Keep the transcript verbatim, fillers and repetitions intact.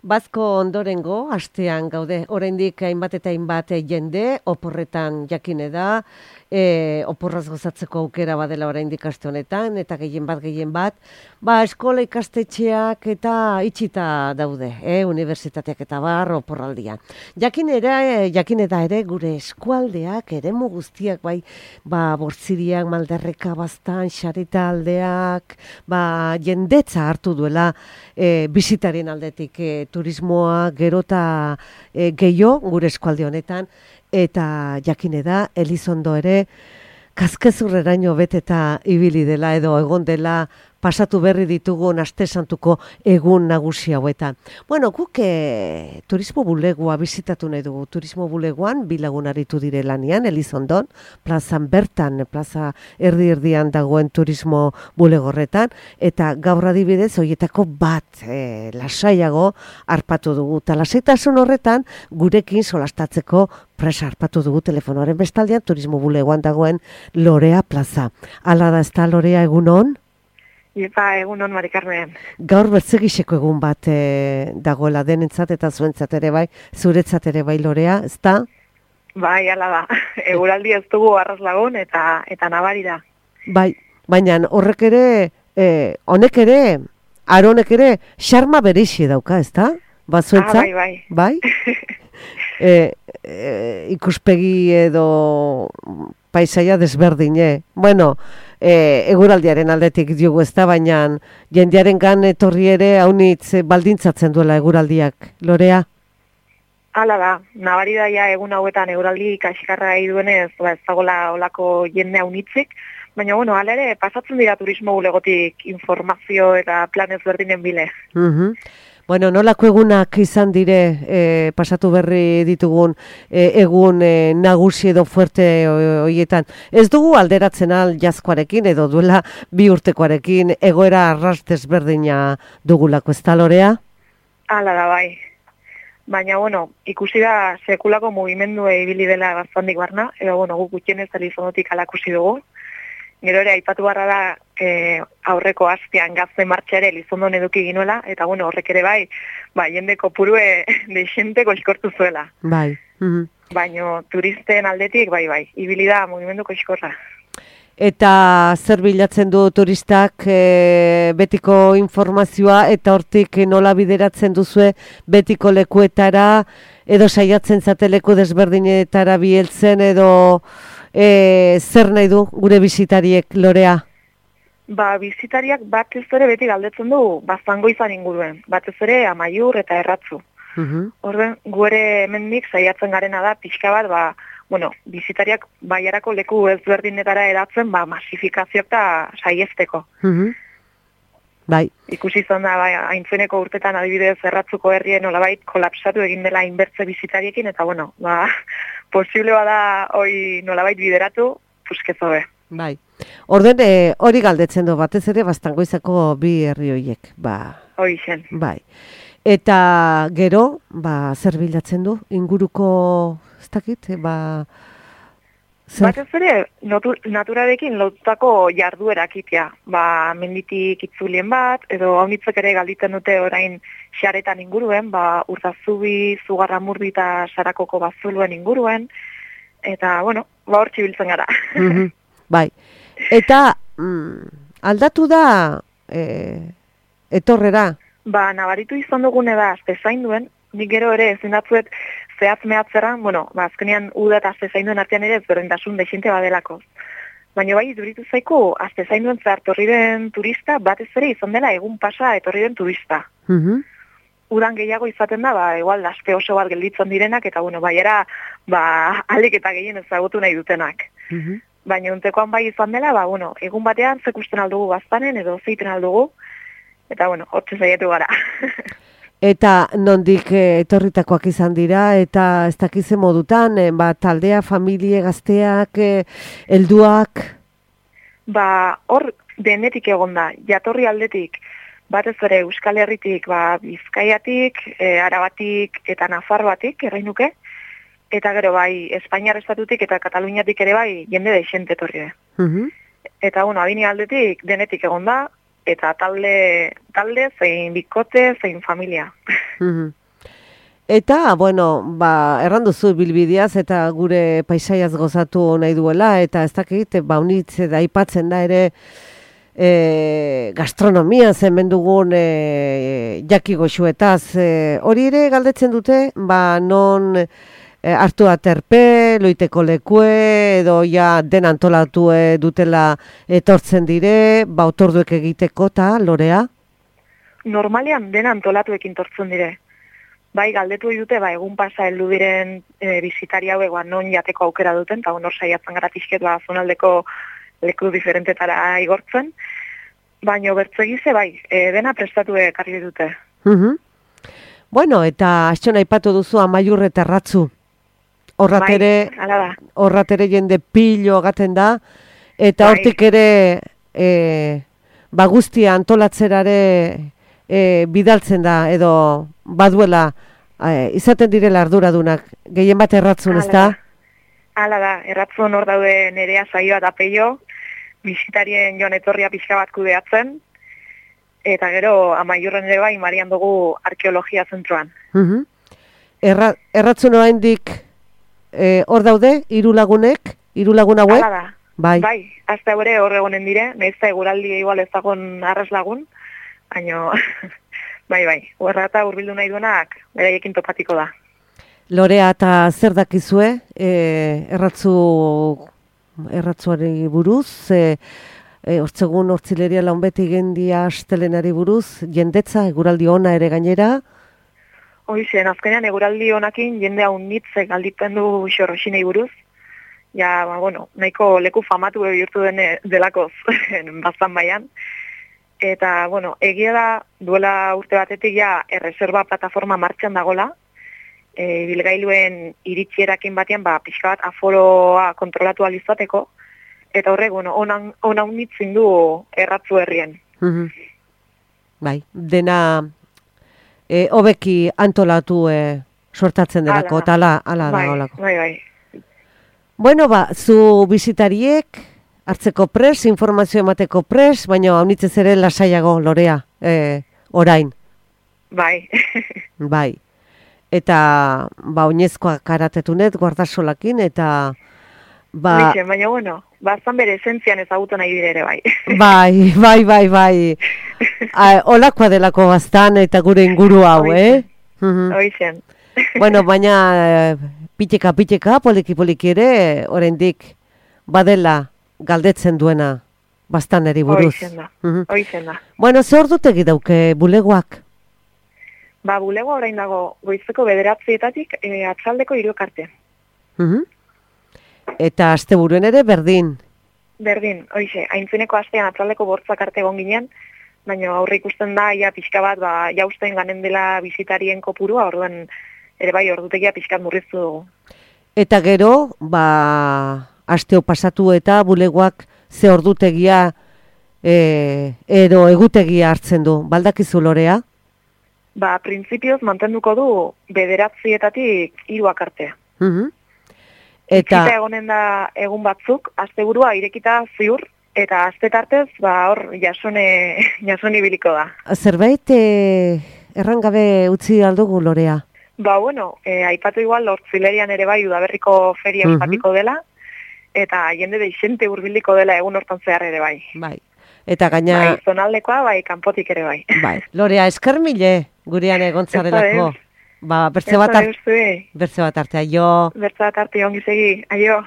Bazko ondorengo, astean gaude, oraindik hainbat eta hainbat jende, oporretan jakine da, e, oporraz gozatzeko aukera badela oraindik aste honetan, eta gehien bat, gehien bat, ba, eskola ikastetxeak eta itxita daude, e, unibertsitateak eta bar, oporraldian. Jakin ere, jakine da ere, gure eskualdeak, eremu guztiak, bai, ba, Bortziriak, Malderreka, Baztan, Xarita aldeak, ba, jendetza hartu duela, e, bisitarien aldetik, e, turismoa gerota e, gehiago gure eskualde honetan, eta jakine da, Elizondo ere, kaskezurreraino beteta ibili dela edo egon dela pasatu berri ditugun aste santuko egun nagusi hauetan. Bueno, guk e, turismo bulegoa bizitatu nahi dugu. Turismo bulegoan bi lagun aritu dire lanean, Elizondon, plazan bertan, plaza erdi-erdian dagoen turismo bulegorretan, eta gaur adibidez horietako bat e, lasaiago harpatu dugu. Eta lasaitasun horretan gurekin solastatzeko presa harpatu dugu telefonoaren bestaldean turismo bulegoan dagoen Lorea plaza. Hala da, ez da, Lorea, egun hon? Ipa, egun hon, Mari Carmen. Gaur bertzegiseko egun bat e, dagoela denentzat eta zuentzat ere bai, zuretzat ere bai, Lorea, ez da? Bai, ala da. Eguraldi ez dugu arras lagun eta eta nabari da. Bai, baina horrek ere, e, honek ere, aronek ere, xarma bereixi dauka, ez da? Ba, zuentzat? Ah, bai, bai. Bai? e, e, ikuspegi edo paisaia desberdine. Bueno, e, eguraldiaren aldetik diogu ez da, baina jendearen gan etorri ere haunitz baldintzatzen duela eguraldiak. Lorea? Hala da, nabari da ja egun hauetan eguraldi kaskarra gai duenez, ba, ez dagoela olako jende haunitzik, baina bueno, hala ere pasatzen dira turismo bulegotik informazio eta planez berdinen bile. Mhm. Bueno, nolako egunak izan dire e, pasatu berri ditugun e, egun e, nagusi edo fuerte horietan. Ez dugu alderatzen al jazkoarekin edo duela bi urtekoarekin egoera arras desberdina dugulako, ez da, Lorea? Hala da, bai. Baina, bueno, ikusi da sekulako mugimendua ibili dela gaztandik barna, edo, bueno, guk gutxienez Elizonotik alakusi dugu. Gero ere, aipatu barra da e, aurreko astean gazte martxa ere Elizondon eduki ginuela, eta bueno, horrek ere bai, ba, jende kopurue deixente koxkortu zuela. Bai. Mm-hmm. Baina turisten aldetik, bai, bai, ibili da mugimendu koxkorra. Eta zer bilatzen du turistak e, betiko informazioa eta hortik nola bideratzen duzue betiko lekuetara edo saiatzen zate leku desberdinetara biheltzen edo e, zer nahi du gure bisitariek, Lorea? Ba, bisitariak batez ere beti galdetzen du Baztango izan inguruen, batez ere Amaiur eta Erratzu. Uh-huh. Orden, gu ere hemendik saiatzen garena da pixka bat, ba, bueno, bizitariak baiarako leku ezberdinetara edatzen, ba, masifikazio eta saiesteko. Uh-huh. Bai. Ikusi izan da, bai, haintzeneko urtetan adibidez Erratzuko herrien nolabait kolapsatu egin dela inbertze bizitariekin, eta bueno, ba, posible bada hori nolabait bideratu, puskezo be. Bai. Orden, e, hori galdetzen du batez ere Baztangoizako bi herri horiek. Ba, hori zen. Bai. Eta gero, ba, zer bilatzen du? Inguruko, ez dakit, ba... Zer? Batez ere, naturarekin lotutako jarduerak itea. Ba, menditik itzulien bat, edo haunitzek ere galditzen dute orain xaretan inguruen, ba, Urdazubi, Zugarramurdi eta Sarakoko bazuluen inguruen, eta, bueno, ba, hor txibiltzen gara. Mm-hmm. Bai. Eta, mm, aldatu da e, etorrera? Ba, nabaritu izan dugune da, aztezain duen, nik gero ere ezin datzuet zehatz mehatzerran, bueno, ba, azkenean uda eta aztezain duen artean ere ezberdintasun dexente badelako. Baina bai, duritu zaiku, aztezain duen zehar torri den turista, batez ere izan dela egun pasa etorri den turista. Mm-hmm. Udan gehiago izaten da, ba, igual, aspe oso bat gelditzen direnak, eta, bueno, baiera, ba, alik eta gehien ezagutu nahi dutenak. Mm-hmm. Baina untekoan bai izan dela, ba, bueno, egun batean zekusten aldugu Baztanen, edo zeiten aldugu, eta, bueno, hortze zaietu gara. Eta nondik e, etorritakoak izan dira, eta ez dakize modutan, e, ba, taldea, familie, gazteak, e, helduak? Ba, hor denetik egon da, jatorri aldetik, batez ere Euskal Herritik, ba, Bizkaiatik, e, Arabatik eta Nafarroatik, errainuke, eta gero bai, Espainiar estatutik eta Kataluniatik ere bai, jende deixente etorri da. Uh-huh. Eta, bueno, adini aldetik denetik egon da, eta talde, talde zein bikote, zein familia. Mhm. Eta, bueno, ba, erranduzu bilbideaz eta gure paisaiaz gozatu nahi duela, eta ez dakit, ba, unitze da aipatzen da ere e, gastronomia hemen dugun e, jaki goxuetaz. E, hori ere galdetzen dute, ba, non e, hartu aterpe, loiteko lekue, edo ja den antolatu e, dutela etortzen dire, ba, otorduek egiteko eta lorea? Normalean den antolatuekin tortzen dire. Bai, galdetu dute, ba, egun pasa heldu diren e, bizitari hauek ba, non jateko aukera duten, eta honor saiatzen gara pixket ba, zonaldeko leku diferentetara igortzen, baina bertzegize bai, e, dena prestatu ekarri dute. Mhm. Bueno, eta astxon aipatu duzu Amaiur eta Erratzu. Horratere, Bai, hala da. horratere jende pilo gaten da, eta Bai. hortik ere e, ba guztia antolatzerare e, bidaltzen da, edo baduela e, izaten direla arduradunak, gehien bat Erratzun, ez da? Hala da, Erratzun hor daude Nerea Saioa eta Peio, bisitarien joan etorria pixka bat kudeatzen, eta gero Amaiurren ere bai Marian dugu arkeologia zentroan. Mhm. Erra, Erratzun oraindik e, hor daude, hiru lagunek, hiru lagun hauek? Hala da. Bai. Bai, azte hori hor egonen dire, nahiz eta eguraldi igual ez dagoen arras lagun, baina bai, bai, horra eta hurbildu nahi duenak beraiekin topatiko da. Lorea, eta zer dakizue, e, erratzu, erratzuari buruz, e, e, hortzegun hortzileria launbeti gendia astelenari buruz, jendetza, eguraldi ona ere gainera? Hoizen, azkenean eguraldi honakin jende hau nitzek galditzen du xorroxinei buruz, ja, ba, bueno, nahiko leku famatu bihurtu dene delakoz baztan baian. Eta, bueno, egia da, duela urte batetik ja erreserba plataforma martxan dagola, e, bilgailuen iritsierakin batean, ba, pixka bat aforoa kontrolatu alizateko, eta horrek, bueno, onan, onan nitzin du Erratzu herrien. Mhm. Bai, dena e, hobeki antolatu e, sortatzen delako, eta ala, ala da bai, olako. bai, bai. Bueno, ba, zu bizitariek hartzeko pres, informazio emateko pres, baina haunitzez ere lasaiago, Lorea, e, orain. Bai. Bai. Eta, ba, oinezkoa karatetunet, guardasolakin, eta, ba... Bixen, baina, bueno, bazan bere esentzian ezagutu nahi dire ere, bai. Bai, bai, bai, bai. A, olakoa delako baztan eta gure inguru hau, eh? Mhm. Hoizen. Bueno, baina eh, piteka, piteka, poliki, poliki ere, oraindik badela galdetzen duena baztaneri buruz. Hoizen da, Mhm. hoizen da. Bueno, ze ordutegi dauke bulegoak? Ba, bulego orain dago goizeko bederatzietatik e, atzaldeko hiruak arte. Mhm. Eta asteburuen ere berdin. Berdin, hoize, aintzineko astean atzaldeko bortzak arte egon ginen, baina aurre ikusten da, ja pixka bat, ba, jausten ganen dela bizitarien kopurua, orduan ere bai ordutegia pixkat murriztu dugu. Eta gero, ba, asteo pasatu eta bulegoak ze ordutegia e, edo egutegia hartzen du. Baldakizu, Lorea? Ba, printzipioz mantenduko du bederatzietatik hiruak arte. Mhm. Eta Eta egonen da egun batzuk, asteburua irekita ziur, eta aste tartez, ba, hor, jasone, jasone ibiliko da. zerbait e, errangabe utzi aldugu, Lorea? Ba, bueno, e, aipatu igual, hortzilerian ere bai, udaberriko feria Mhm. ospatuko dela, eta jende deixente hurbiliko dela egun hortan zehar ere bai. Bai. Eta gaina, Bai, zonaldekoa, bai, kanpotik ere bai. bai. Lorea, esker mile gurean egontzarelako. Ez Ba, bertze bat, Ez da ar- deus zuei. bertze bat artea, jo. Bertza arte ongi segi, aio.